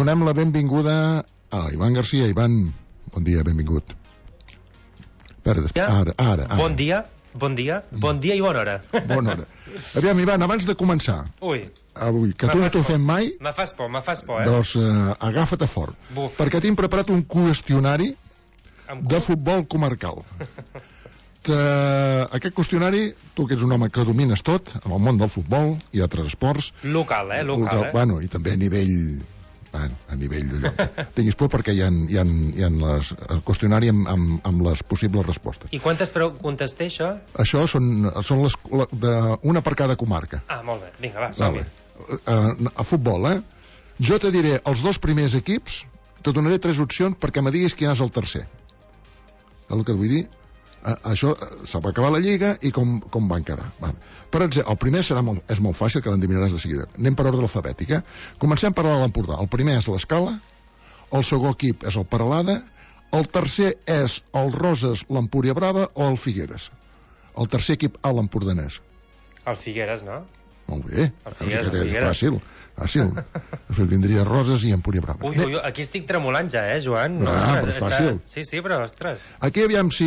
donem la benvinguda a Ivan Garcia. Ivan, bon dia, benvingut. Ara. Bon dia i bona hora. Bona hora. Aviam, Ivan, abans de començar, avui, que tu no t'ho fem mai, me fas por, doncs agafa't fort. Buf. Perquè tinc preparat un qüestionari de futbol comarcal. Aquest qüestionari, tu que ets un home que domines tot, en el món del futbol i altres esports... Local. Bueno, i també a nivell d'allò. Tinguis por perquè hi ha el qüestionari amb les possibles respostes. I quantes preguntes té, això? Això són una per cada comarca. Molt bé, vinga, va, som-hi. A futbol, jo te diré els dos primers equips, te donaré 3 opcions perquè me diguis quin és el tercer. El que vull dir, això se va acabar la lliga i com van quedar. Per exemple, el primer és molt fàcil, que l'endevinaràs de seguida. Anem per ordre alfabètic. Comencem per l'Empordà. El primer és l'Escala, el segon equip és el Peralada, el tercer és el Roses, l'Empúria Brava o el Figueres. El tercer equip a l'Empordanès. El Figueres, no? Molt bé. El Figueres. Fàcil. Després vindria Roses i Empúria Brava. Ui, aquí estic tremolant ja, Joan? Però fàcil. Sí, però, ostres. Aquí aviam si...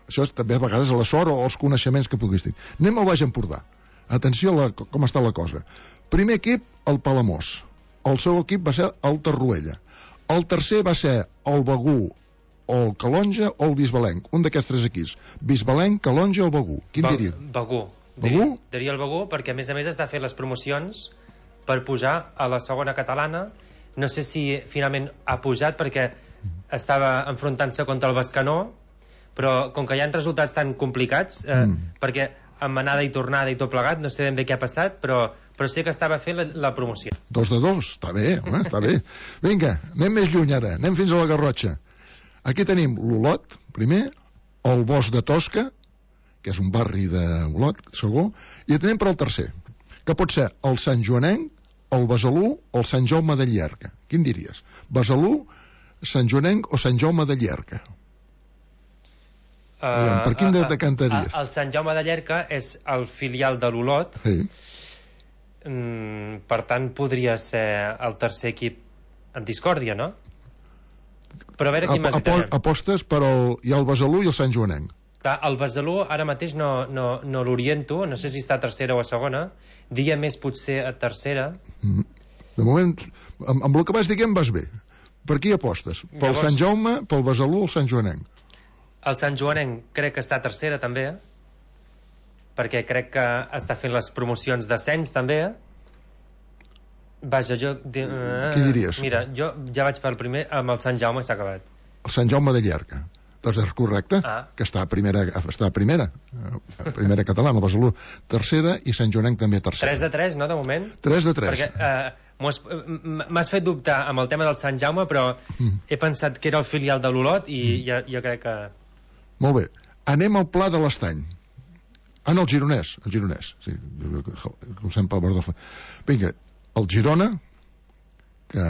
Això és també a vegades a la sort o els coneixements que puguis tenir. Anem al Baix Empordà. Atenció com està la cosa. Primer equip, el Palamós. El segon equip va ser el Torroella. El tercer va ser el Begú, o el Calonja o el Bisbalenc. Un d'aquests 3 equips. Bisbalenc, Calonja o Begú. Quin diria? Begú. Diria el Begú, perquè a més està fent les promocions per pujar a la segona catalana. No sé si finalment ha pujat perquè estava enfrontant-se contra el Bescanó, però com que hi ha resultats tan complicats, perquè amb anada i tornada i tot plegat, no sé ben bé què ha passat, però sé que estava fent la promoció. 2 de 2, està bé, home, està bé. Vinga, anem més lluny ara, anem fins a la Garrotxa. Aquí tenim l'Olot, primer, el Bosc de Tosca, que és un barri d'Olot, segur, i anem per al tercer, que pot ser el Sant Joanenc, el Besalú o el Sant Jaume de Llierca. Quin diries? Besalú, Sant Joanenc o Sant Jaume de Llierca? Per quin de cantaries? El Sant Jaume de Llierca és el filial de l'Olot. Sí. Per tant podria ser el tercer equip en discòrdia, no? Però a veure quin més hi tenim. Apostes per hi ha el Besalú i el Sant Joanenc. El Besalú ara mateix no l'oriento, no sé si està a tercera o a segona. Diria més potser a tercera. De moment, amb el que vas dient vas bé. Per qui apostes? Pel Sant Jaume, pel Besalú o el Sant Joanenc? El Sant Joanenc crec que està a tercera també, perquè crec que està fent les promocions d'ascens també. Vaja, Qui diries? Mira, jo ja vaig pel primer, amb el Sant Jaume s'ha acabat. El Sant Jaume de Llierca. Doncs és correcte, que està a primera catalana, el Besalú tercera i Sant Joanenc també tercera. 3 de 3, no, de moment? 3 de 3. Perquè m'has fet dubtar amb el tema del Sant Jaume, però he pensat que era el filial de l'Olot i jo crec que... Molt bé, anem al Pla de l'Estany. No, el Gironès. Sí, comencem pel bord del... Vinga, el Girona, que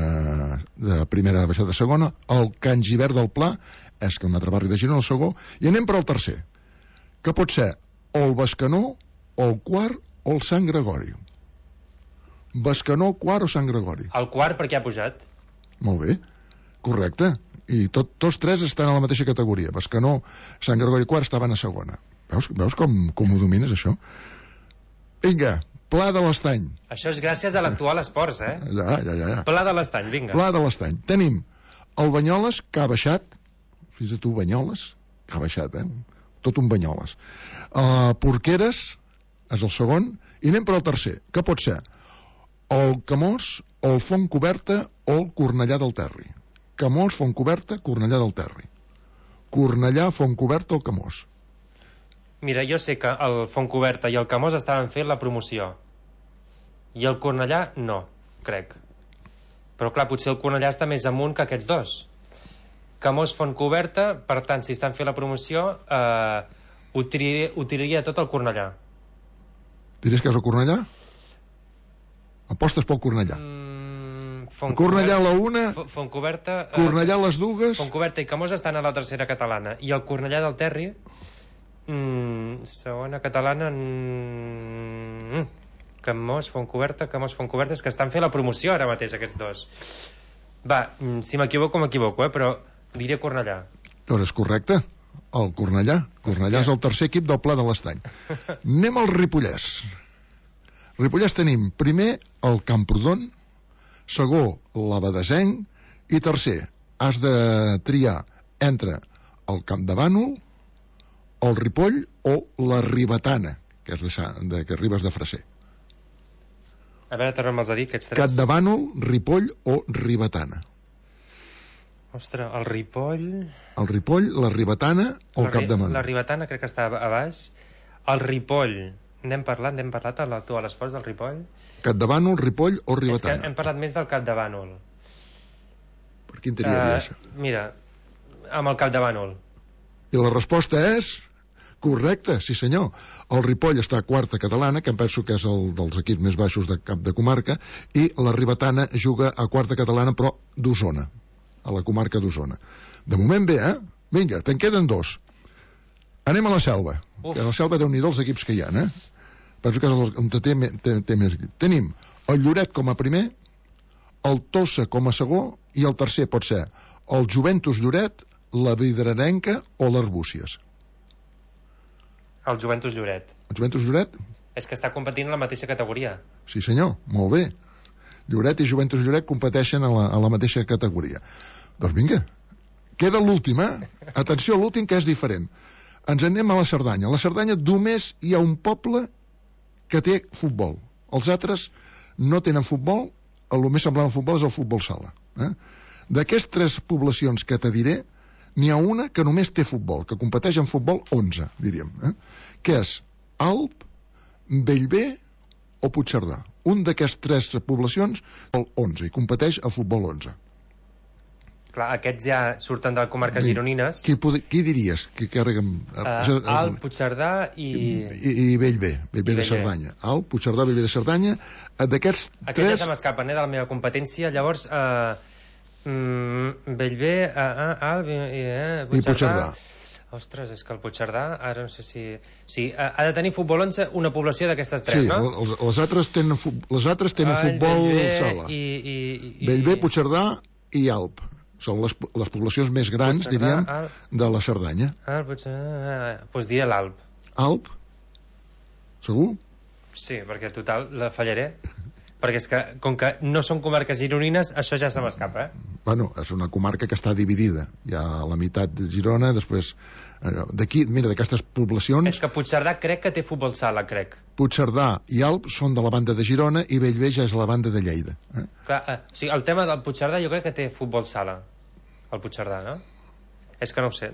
de primera baixada de segona, el Can Givert del Pla, és que un altre barri de Girona, el segon, i anem per al tercer, que pot ser o el Bescanó, o el Quart, o el Sant Gregori. Bescanó, Quart o Sant Gregori? El Quart perquè ha pujat. Molt bé, correcte. I tots 3 estan a la mateixa categoria. Bescanó, Sant Gregori i Quart estaven a segona. Veus com ho domines, això? Vinga, Pla de l'Estany. Això és gràcies a l'actual Esports, Ja. Pla de l'Estany, vinga. Pla de l'Estany. Tenim el Banyoles, que ha baixat. Fins a tu, Banyoles, que ha baixat, tot un Banyoles. Porqueres és el segon, i anem per al tercer, que pot ser el Camós, el Fontcoberta o el Cornellà del Terri. Camós, Fontcoberta, Cornellà del Terri. Cornellà, Fontcoberta o Camós? Mira, jo sé que el Fontcoberta i el Camós estaven fent la promoció i el Cornellà no, crec. Però clar, potser el Cornellà està més amunt que aquests dos. Camós, Fontcoberta, per tant, si estan fent la promoció, ho tiraria tot el Cornellà. Diries que és el Cornellà? Apostes pel Cornellà? Cornellà a la una, Fontcoberta, Cornellà a les dues. Fontcoberta i Camós estan a la tercera catalana i el Cornellà del Terri segona catalana Camós, Fontcoberta, és que estan fent la promoció ara mateix aquests dos. Va, si m'equivoco, però diré Cornellà. Doncs és correcte, el Cornellà. Cornellà és el tercer equip del Pla de l'Estany. Anem al Ripollès. Ripollès tenim primer el Camprodon, segon l'Abadesenc i tercer has de triar entre el Camp de Bànol, el Ripoll o la Ribetana, que és que Ribes de Freser. A veure, torna'm-els a dir, aquests tres. Cap de Bànol, Ripoll o Ribetana. Ostres, el Ripoll... El Ripoll, la Ribetana o el Cap de Bànol. La Ribetana crec que està a baix. El Ripoll, n'hem parlat a l'Esports del Ripoll? Cap de Bànol, Ripoll o Ribetana? És que hem parlat més del Cap de Bànol. Per quin triaries? Mira, amb el Cap de Bànol. I la resposta és... Correcte, sí senyor. El Ripoll està a quarta catalana, que em penso que és el dels equips més baixos de cap de comarca, i la Ribetana juga a quarta catalana, però d'Osona, a la comarca d'Osona. De moment bé, eh? Vinga, te'n queden dos. Anem a la Selva. Que a la Selva déu-n'hi-do els equips que hi ha, eh? Penso que és on té més... Tenim el Lloret com a primer, el Tossa com a segon, i el tercer pot ser el Juventus Lloret, la Vidrarenca o l'Arbúcies. El Juventus Lloret. El Juventus Lloret? És que està competint en la mateixa categoria. Sí senyor, molt bé. Lloret i Juventus Lloret competeixen a la mateixa categoria. Doncs vinga, queda l'última. Atenció a l'últim, que és diferent. Ens anem a la Cerdanya. A la Cerdanya només hi ha un poble que té futbol. Els altres no tenen futbol. El més semblant al futbol és el futbol sala. D'aquestes tres poblacions que te diré, n'hi ha una que només té futbol, que competeix en futbol 11, diríem, que és Alp, Bellver o Puigcerdà. Un d'aquestes tres poblacions, el 11, i competeix a futbol 11. Clar, aquests ja surten de comarques gironines. Qui diries? Alp, Puigcerdà i Bellver de Cerdanya. Alp, Puigcerdà, Bellver de Cerdanya. D'aquests tres... Aquests ja se m'escapen, de la meva competència. Llavors... Bellver, Alp i Puigcerdà. Ostres, és que el Puigcerdà ara no sé si... Sí, ha de tenir futbol 11 una població d'aquestes tres, sí, no? Sí, les altres tenen futbol sala. Bellver, Puigcerdà i Alp. Són les poblacions més grans, diríem, de la Cerdanya. Doncs diré l'Alp. Alp? Segur? Sí, perquè total la fallaré. Perquè és que, com que no són comarques gironines, això ja se m'escapa, Bueno, és una comarca que està dividida. Hi ha la meitat de Girona, després... D'aquí, mira, d'aquestes poblacions... És que Puigcerdà crec que té futbol sala, crec. Puigcerdà i Alp són de la banda de Girona i Bellver ja és la banda de Lleida. Clar, o sigui, el tema del Puigcerdà jo crec que té futbol sala. El Puigcerdà, no? És que no ho sé...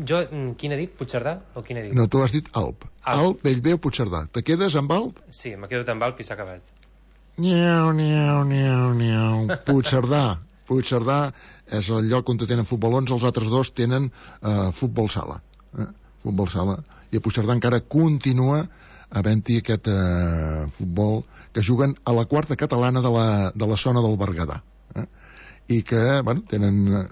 Jo, quin he dit? Puigcerdà o quin he dit? No, tu has dit Alp. Alp, Bellver o Puigcerdà. Te quedes amb Alp? Sí, me quedo amb Alp i s'ha acabat. Niau. Puigcerdà és el lloc on tenen futbol 11, els altres dos tenen futbol sala. Futbol sala. I a Puigcerdà encara continua havent-hi aquest futbol que juguen a la quarta catalana de la zona del Berguedà. I que, bueno, tenen...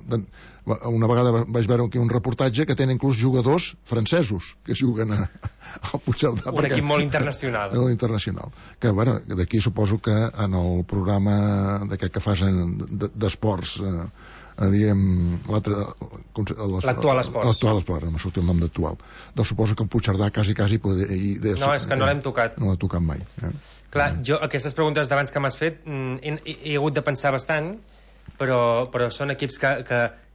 Una vegada vaig veure aquí un reportatge que tenen inclús jugadors francesos que juguen al Puigcerdà. Un equip molt internacional. Molt internacional. Que, bueno, d'aquí suposo que en el programa d'aquest que fas d'esports, diguem... L'actual esports. L'actual esports, no m'ha sortit el nom d'actual. Doncs suposo que el Puigcerdà quasi... No, és que no l'hem tocat. No l'ha tocat mai. Clar, jo aquestes preguntes d'abans que m'has fet he hagut de pensar bastant, però són equips que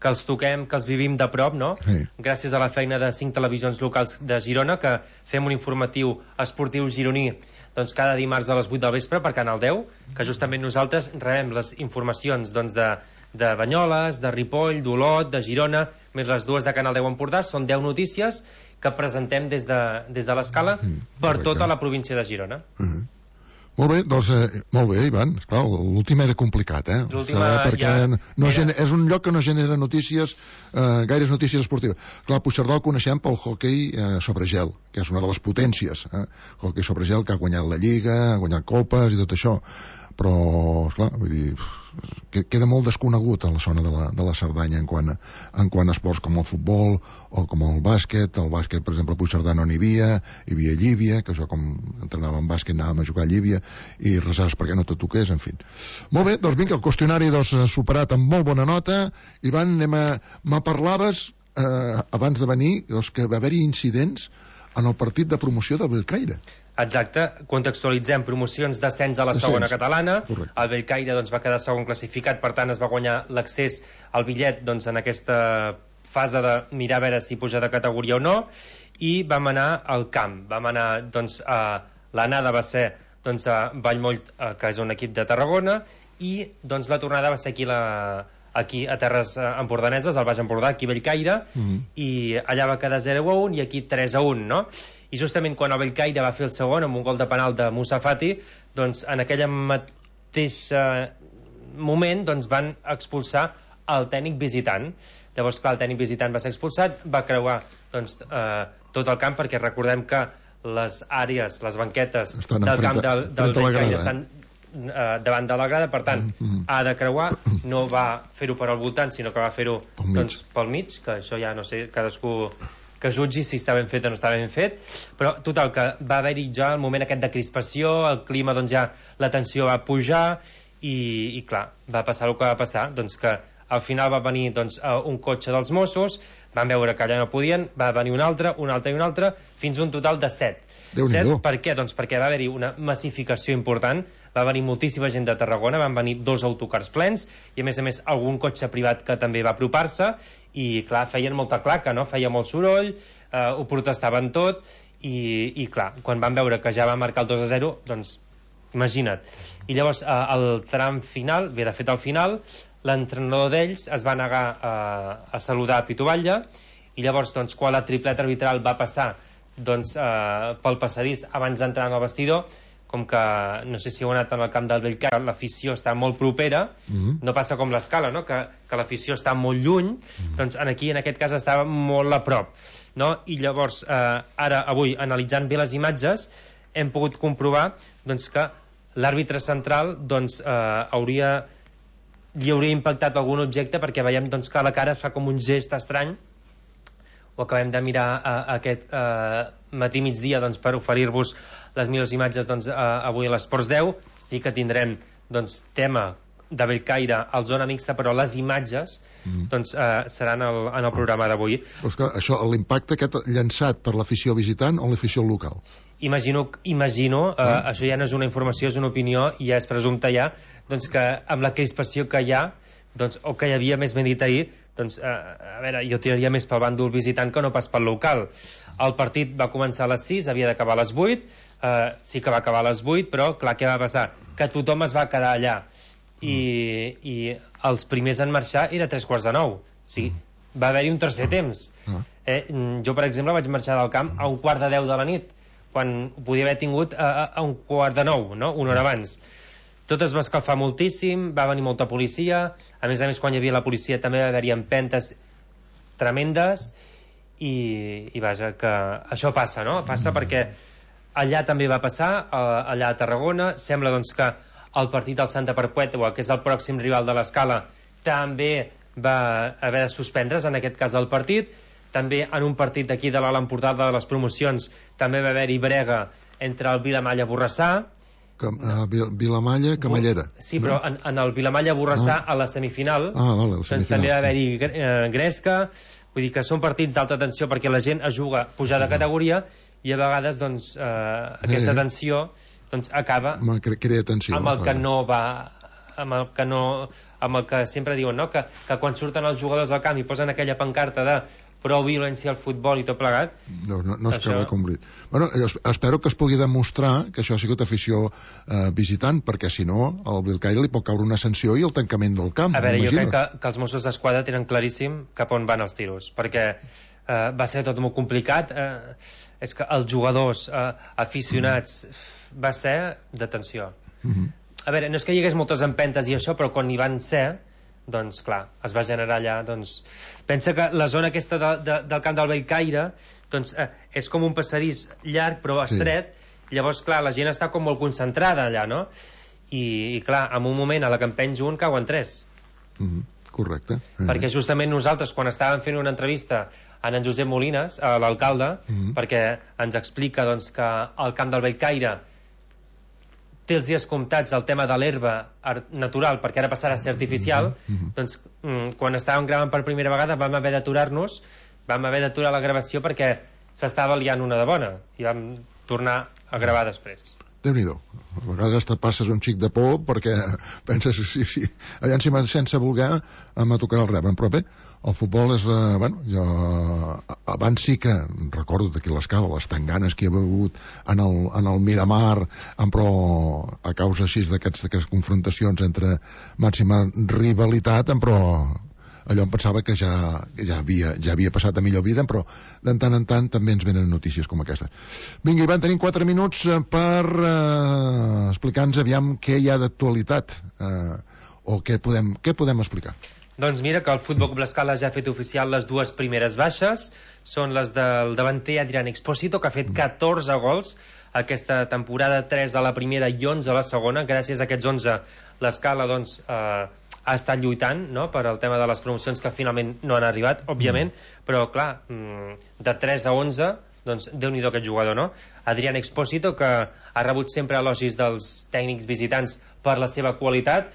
els toquem, que els vivim de prop, no? Sí. Gràcies a la feina de 5 televisions locals de Girona, que fem un informatiu esportiu gironí doncs cada dimarts a les 8 del vespre per Canal 10, que justament nosaltres rebem les informacions doncs, de Banyoles, de Ripoll, d'Olot, de Girona, més les dues de Canal 10 Empordà. Són 10 notícies que presentem des de l'Escala per tota la província de Girona. Molt bé, doncs, molt bé, Ivan. Esclar, l'últim era complicat, perquè és un lloc que no genera notícies, gaires notícies esportives. Clar, Puigcerdà el coneixem pel hoquei sobre gel, que és una de les potències. Hoquei sobre gel que ha guanyat la Lliga, ha guanyat copes i tot això. però esclar, vull dir, queda molt desconegut a la zona de la Cerdanya en quant a esports com el futbol o com el bàsquet. El bàsquet, per exemple, a Puigcerdà no n'hi havia Llívia, que jo com entrenava en bàsquet anàvem a jugar a Llívia, i resars perquè no te toqués, en fi. Molt bé, doncs vinga, el qüestionari superat amb molt bona nota. Ivan, me parlaves abans de venir que va haver-hi incidents en el partit de promoció del Bellcaire. Exacte, contextualitzem promocions d'ascens a la segona catalana. Correcte. El Bellcaire va quedar segon classificat, per tant es va guanyar l'accés al bitllet en aquesta fase de mirar a veure si puja de categoria o no, i vam anar al camp. Vam anar, l'anada va ser a Vallmoll, que és un equip de Tarragona, i la tornada va ser aquí a Terres Empordaneses, al Baix Empordà, aquí a Bellcaire, i allà va quedar 0-1 i aquí 3-1, no? I justament quan el Bellcaire va fer el segon amb un gol de penal de Moussa Fati, en aquell mateix moment van expulsar el tècnic visitant. Llavors, clar, el tècnic visitant va ser expulsat, va creuar tot el camp, perquè recordem que les àrees, les banquetes del camp del Bellcaire estan davant de la grada, per tant ha de creuar, no va fer-ho per al voltant, sinó que va fer-ho pel mig, que això ja no sé, cadascú que jutgi si està ben fet o no està ben fet, però total, que va haver-hi ja el moment aquest de crispació, el clima, ja la tensió va pujar i clar, va passar el que va passar, que al final va venir un cotxe dels Mossos, van veure que allà no podien, va venir un altre, fins un total de 7. Per què? Perquè va haver-hi una massificació important, va venir moltíssima gent de Tarragona, van venir 2 autocars plens i a més algun cotxe privat que també va apropar-se i clar, feien molta claca, no? Feia molt soroll, ho protestaven tot i clar, quan van veure que ja va marcar el 2-0, imagina't. I llavors al tram final, de fet al final, l'entrenador d'ells es va negar a saludar a Pitu Batlle i llavors quan la tripleta arbitral va passar pel passadís abans d'entrar en el vestidor, com que no sé si heu anat en el camp del Bellcaire, l'afició està molt propera, no passa com l'Escala, no? que l'afició està molt lluny, aquí en aquest cas estava molt a prop, no? I llavors ara avui analitzant bé les imatges hem pogut comprovar que l'àrbitre central li hauria impactat algun objecte, perquè veiem que a la cara es fa com un gest estrany. Ho acabem de mirar aquest matí migdia per oferir-vos les millors imatges avui a l'Esports 10. Sí que tindrem tema de Bellcaire al zona mixta, però les imatges seran en el programa d'avui. Però és que això, l'impacte aquest llançat per l'afició visitant o l'afició local? Imagino, això ja no és una informació, és una opinió i ja és presumpte ja, que amb la crispació que hi ha, o que hi havia, més ben dit ahir, a veure, jo tiraria més pel bàndol visitant que no pas pel local. El partit va començar a les 6, havia d'acabar a les 8, sí que va acabar a les 8, però clar, què va passar? Que tothom es va quedar allà i els primers en marxar era 8:45. Sí, va haver-hi un tercer temps. Jo, per exemple, vaig marxar del camp a 8:45 de la nit, quan podia haver tingut a 8:45, no? Una hora abans. Tot es va escalfar moltíssim, va venir molta policia, a més, quan hi havia la policia també va haver-hi empentes tremendes i vaja, que això passa, no? Passa perquè allà també va passar, allà a Tarragona, sembla que el partit del Santa Perpètua, que és el pròxim rival de l'Escala, també va haver de suspendre's, en aquest cas el partit, també en un partit d'aquí de l'Alt Empordà de les promocions també va haver-hi brega entre el Vilamalla i Borrassà. Vilamalla, Camallera. Sí, però en el Vilamalla Borrassà a la semifinal, vale, també va haver-hi gresca, vull dir que són partits d'alta tensió perquè la gent es juga pujar de categoria i a vegades aquesta tensió acaba crea tensió amb el que no va, amb el que sempre diuen, no? Que quan surten els jugadors al camp i posen aquella pancarta de prou violència al futbol i tot plegat, no es acaba complir. Bueno, espero que es pugui demostrar que això ha sigut afició visitant, perquè si no al Bellcaire li pot caure una sanció i el tancament del camp. A veure, jo crec que els Mossos d'Esquadra tenen claríssim cap on van els tiros, perquè va ser tot molt complicat. És que els jugadors aficionats va ser de tensió. A veure, no és que hi hagués moltes empentes i això, però quan hi van ser, doncs clar, es va generar allà, pensa que la zona aquesta del camp del Bellcaire és com un passadís llarg però estret, llavors clar, la gent està com molt concentrada allà, no? i clar, en un moment a la que en penjo un cauen 3. Correcte. Perquè justament nosaltres, quan estàvem fent una entrevista a en Josep Molines, a l'alcalde, perquè ens explica doncs, que el camp del Bellcaire té els dies comptats el tema de l'herba natural, perquè ara passarà a ser artificial, doncs quan estàvem gravant per primera vegada vam haver d'aturar-nos, vam haver d'aturar la gravació perquè s'estava liant una de bona i vam tornar a gravar després. Déu-n'hi-do. A vegades te passes un xic de por perquè penses, sí, allà encima sense voler me tocarà el rebre, però bé, el futbol és jo abans sí que recordo d'aquí l'Escala les tanganes que hi ha hagut en el Miramar, però a causa així d'aquestes confrontacions entre màxima rivalitat, però allò em pensava que ja havia passat a millor vida, però de tant en tant també ens venen notícies com aquestes. Vinga, Ivan, tenim 4 minuts per explicar-nos aviam què hi ha d'actualitat o què podem explicar. Doncs mira que el Futbol Club L'Escala ja ha fet oficial les 2 primeres baixes, són les del davanter Adrián Expósito, que ha fet 14 gols aquesta temporada, 3 a la primera i 11 a la segona. Gràcies a aquests 11 l'Escala doncs ha estat lluitant, no?, per al tema de les promocions que finalment no han arribat, òbviament, però clar, de 3 a 11 doncs Déu-n'hi-do aquest jugador, no? Adrián Expósito, que ha rebut sempre elogis dels tècnics visitants per la seva qualitat,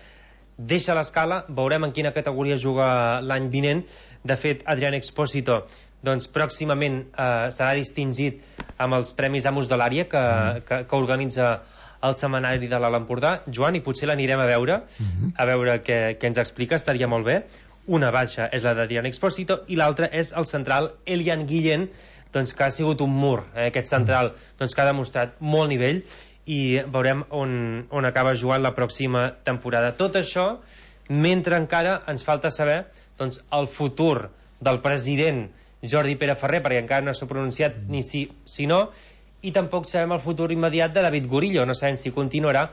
deixa l'Escala, veurem en quina categoria juga l'any vinent. De fet, Adrián Expósito doncs pròximament serà distingit amb els Premis Amos de l'Àrea que organitza el setmanari de l'Alt Empordà. Joan, i potser l'anirem a veure què ens explica, estaria molt bé. Una baixa és la d'Adrián Expósito i l'altra és el central Elian Guillén, doncs, que ha sigut un mur, aquest central doncs, que ha demostrat molt nivell, i veurem on acaba jugant la pròxima temporada. Tot això mentre encara ens falta saber doncs, el futur del president Jordi Pere Ferrer, perquè encara no s'ha pronunciat ni sí no, i tampoc sabem el futur immediat de David Gorillo, no sabem si continuarà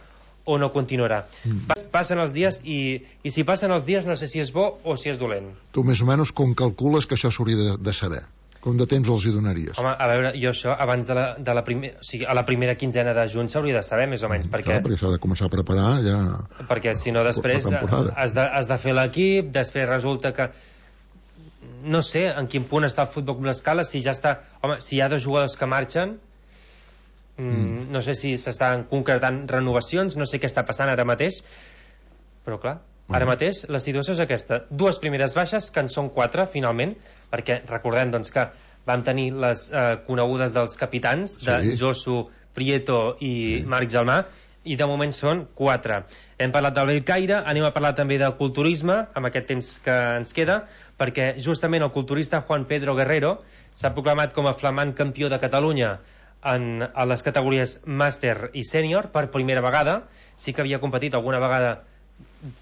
o no continuarà. Passen els dies i si passen els dies no sé si és bo o si és dolent. Tu més o menys com calcules que això s'hauria de saber? Com de temps els hi donaries? Home, a veure, jo això abans de la primera, o sigui, a la primera quinzena de juny s'hauria de saber més o menys, perquè s'ha de començar a preparar ja, perquè si no després has de fer l'equip, després resulta que no sé en quin punt està el Futbol Club L'Escala, si ja està, home, si hi ha 2 jugadors que marxen, no sé si s'estan concretant renovacions, no sé què està passant ara mateix, però clar, ara mateix la situació és aquesta: 2 primeres baixes, que en són 4 finalment, perquè recordem doncs, que vam tenir les conegudes dels capitans de Josu, Prieto i Marc Gelmà, i de moment són 4. Hem parlat del Bellcaire, anem a parlar també del culturisme amb aquest temps que ens queda, perquè justament el culturista Juan Pedro Guerrero s'ha proclamat com a flamant campió de Catalunya a les categories màster i sènior per primera vegada. Sí que havia competit alguna vegada,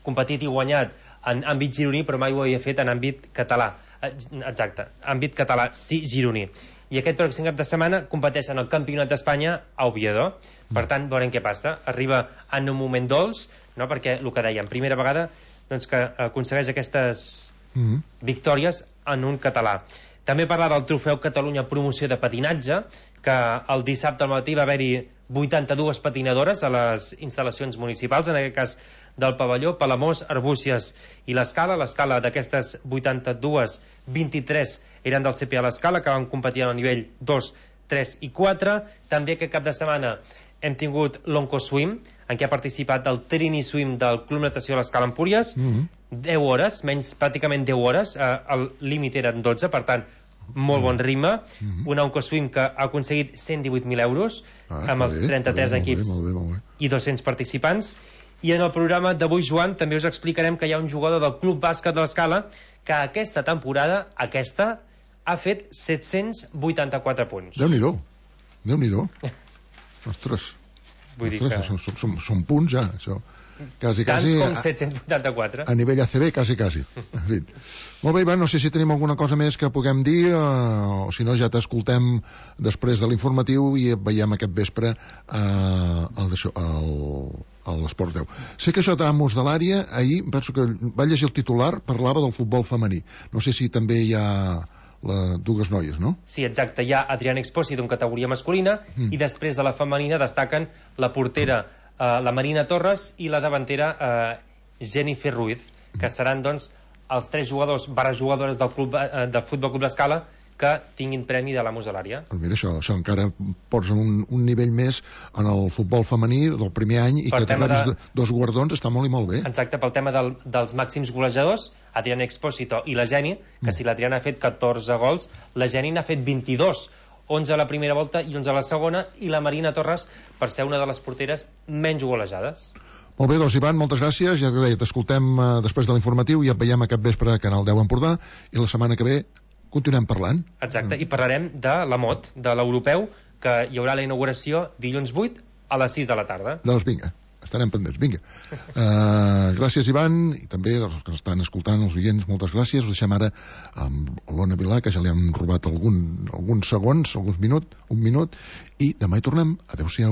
competit i guanyat en àmbit gironí, però mai ho havia fet en àmbit català. Exacte, àmbit català sí gironí. I aquest pròxim cap de setmana competeix en el Campionat d'Espanya a Oviedo. Per tant, veurem què passa. Arriba en un moment dolç, no? Perquè el que dèiem, primera vegada doncs, que aconsegueix aquestes victòries en un català. També parlar del Trofeu Catalunya Promoció de Patinatge, que el dissabte al matí va haver-hi 82 patinadores a les instal·lacions municipals, en aquest cas del pavelló, Palamós, Arbúcies i l'Escala. L'Escala d'aquestes 82, 23 eren del CPA l'Escala, que van competir al nivell 2, 3 i 4. També aquest cap de setmana hem tingut l'Oncoswim, en què ha participat el Trini Swim del Club Natació l'Escala Empúries. 10 hores, pràcticament 10 hores, el límit eren 12, per tant molt bon ritme. Una Oncoswim que ha aconseguit 118.000 euros amb els 33 equips i 200 participants. I en el programa d'avui, Joan, també us explicarem que hi ha un jugador del Club Bàsquet de l'Escala que aquesta temporada, ha fet 784 punts. Déu-n'hi-do. Ostres. Vull dir que són punts ja, això. Quasi, tants com 784 a nivell ACB, quasi. En fi. Molt bé, Ivan, no sé si tenim alguna cosa més que puguem dir, o si no ja t'escoltem després de l'informatiu i et veiem aquest vespre a l'Esport 10. Sé que això d'Amos de l'Àrea, ahir penso que va llegir el titular, parlava del futbol femení. No sé si també hi ha dues noies, no? Sí, exacte, hi ha Adrián Expósito en categoria masculina i després de la femenina destaquen la portera la Marina Torres i la davantera Jennifer Ruiz, que seran doncs els 3 jugadors barra jugadores del Futbol Club L'Escala que tinguin premi de la muselària. Però mira, això encara posa un nivell més en el futbol femení del primer any i que te rebis 2 guardons està molt i molt bé. Exacte, pel tema dels màxims golejadors, Adriana Expósito i la Geni, que si l'Adriana ha fet 14 gols, la Geni n'ha fet 22, 11 a la primera volta i 11 a la segona, i la Marina Torres per ser una de les porteres menys golejades. Molt bé, doncs Ivan, moltes gràcies. Ja t'he dit, t'escoltem després de l'informatiu i et veiem aquest vespre a Canal 10 Empordà, i la setmana que ve continuem parlant. Exacte, i parlarem de la MOT, de l'europeu, que hi haurà la inauguració dilluns 8 a les 6 de la tarda. Doncs vinga, estarem pendents, vinga. Gràcies, Ivan, i també els que estan escoltant, els oients, moltes gràcies. Us deixem ara amb l'Ona Vilà, que ja li hem robat alguns segons, un minut, i demà hi tornem. Adéu-siau.